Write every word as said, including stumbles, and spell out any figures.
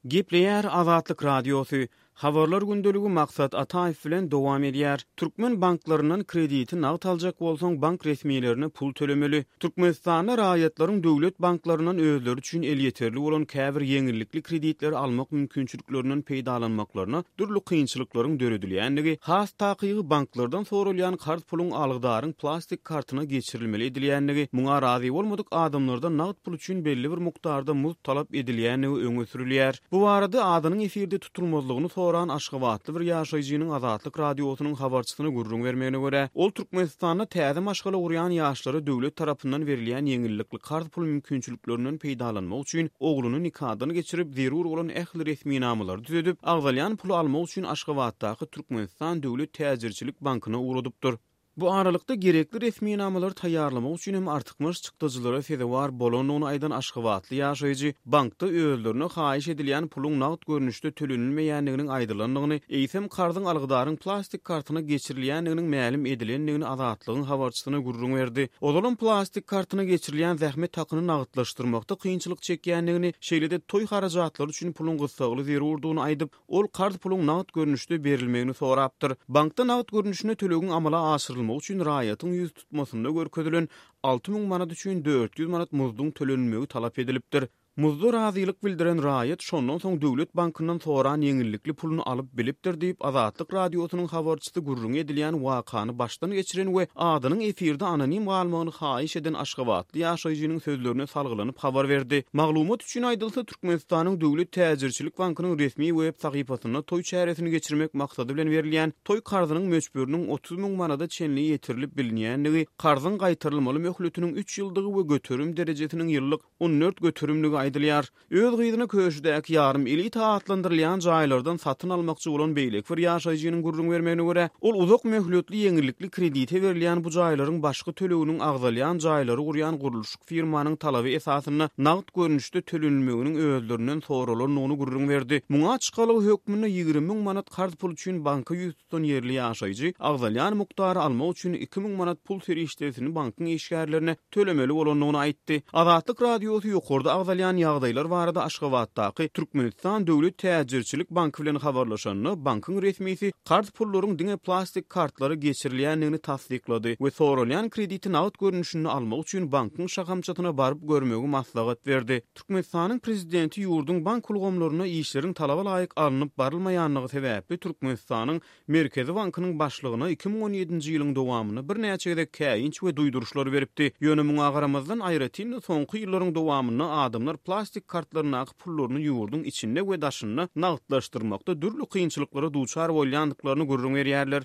Gepleýär Azatlyk Radiosy. Habarlar gündeligi Maksat Ataýew bilen dowam edýär. Türkmen banklaryndan krediti nagt aljak bolsaň, bank resmilerine pul tölemeli. Türkmenistanda raýatlaryň döwlet banklaryndan özleri üçin elýeterli bolan käbir ýeňillikli kreditleri almak mümkinçiliklerinden peýdalanmaklaryna dürli kynçylyklaryň döredilýändigi, has takygy banklardan soralýan karz puluň algydaryň plastik kartyna geçirilmeli edilýändigi, muňa razy bolmadyk adamlardan nagt pul üçin belli bir mukdarda muzd talap edilýändigi öňe sürülýär. Bu barada adynyň efirde tutulmazlygyny soran aşgabatly bir ýaşaýjynyň Azatlyk Radiosynyň habarçysyna gürrüň bermegine görä, ol Türkmenistanda täze maşgala gurýan ýaşlara döwlet tarapyndan berilýän ýeňillikli karz pul mümkinçiliklerinden peýdalanmak üçin ogluny nikadan geçirip, zerur bolan ähli resminamalary düzedip, agzalýan puly almak üçin Aşgabatdaky Türkmenistan döwlet täjirçilik bankyna ugradypdyr. Bu aralykda gerekli resminamalary taýýarlamak üçin hem artykmaç çykdajylara sezewar bolandygyny aýdan aşgabatly ýaşaýjy bankda özlerine haýyş edilýän puluň nagt görnüşde tölenilmeýändiginiň aýdylandygyny, eýsem karzyň algydaryň plastik kartyna geçirilýändiginiň mälim edilendigini Azatlygyň habarçysyna gürrüň berdi. Ozalam plastik kartyna geçirilýän zähmet hakyny nagtlaşdyrmakda kynçylyk çekýändigini, şeýle-de toý harajatlary üçin puluň gyssagly zerurdygyny aýdyp, ol karz puluň nagt görnüşde berilmegini sorapdyr. Bankda nagt görnüşinde tölegiň amala aşyrylmagy üçin raýatyň ýüz tutmasynda görkezilen alty müň manat üçin dört ýüz manat muzduň tölenilmegi talap edilipdir. Muzda razylyk bildiren raýat şondan soň döwlet bankyndan soran ýeňillikli puluny alyp bilipdir diýip, Azatlyk Radiosynyň habarçysy gürrüňi edilýän wakany başdan geçiren we adynyň efirde anonim galmagyny haýyş eden aşgabatly ýaşaýjynyň sözlerine salgylanyp habar berdi. Maglumat üçin aýdylsa, Türkmenistanyň Döwlet täjirçilik bankynyň resmi web sahypasynda toý çäresini geçirmek maksady bilen berilýän toý karzynyň möçberiniň otuz müň manada çenli ýetirilip bilinýändigi, karzyň gaýtarylmaly möhletiniň üç ýyldygy we göterim derejesiniň ýyllyk on dört göterimligi aýdylýar. Öz gyzyny Köşüdäki ýarym elita atlandyrylýan jaýlardan satyn almakçy bolan beýleki bir ýaşaýjynyň gürrüň bermegine görä, ol uzak möhletli ýeňillikli kredite berilýän bu jaýlaryň başky töleginiň agzalýan jaýlary gurýan gurluşyk firmanyň talaby esasynda nagt görnüşde tölenilmeginiň özlerinden soralandygyny gürrüň berdi. Muňa çykalga hökmünde ýigrimi müň manat karz pul üçin banka ýüz tutan ýerli ýaşaýjy agzalýan mukdary almak üçin iki müň manat pul serişdesini bankyň işgärlerine tölemeli bolandygyny aýtdy. Azatlyk Radiosy ýokarda agzalýan ýagdaýlar barada Aşgabatdaky Türkmenistan Döwlet täjirçilik banky bilen habarlaşanda, bankyň resmisi karz pullaryň diňe plastik kartlara geçirilýändigini tassyklady we soralýan krediti nagt görnüşinde almak üçin bankyň şahamçasyna baryp görmegi maslahat berdi. Türkmenistanyň prezidenti ýurduň bank ulgamlarynda işleriň talaba laýyk alnyp barylmaýandygy sebäpli Türkmenistanyň Merkezi bankynyň başlygyna iki müň on ýedinji ýylyň dowamynda birnäçe gezek käýinç we duýduryşlar beripdi. Ýöne muňa garamazdan, aýratyn-da soňky ýyllaryň dowamynda adamlar plastik kartlaryndaky pullaryny ýurduň içinde we daşynda nagtlaşdyrmakda dürli kynçylyklara duçar bolýandyklaryny gürrüň berýärler.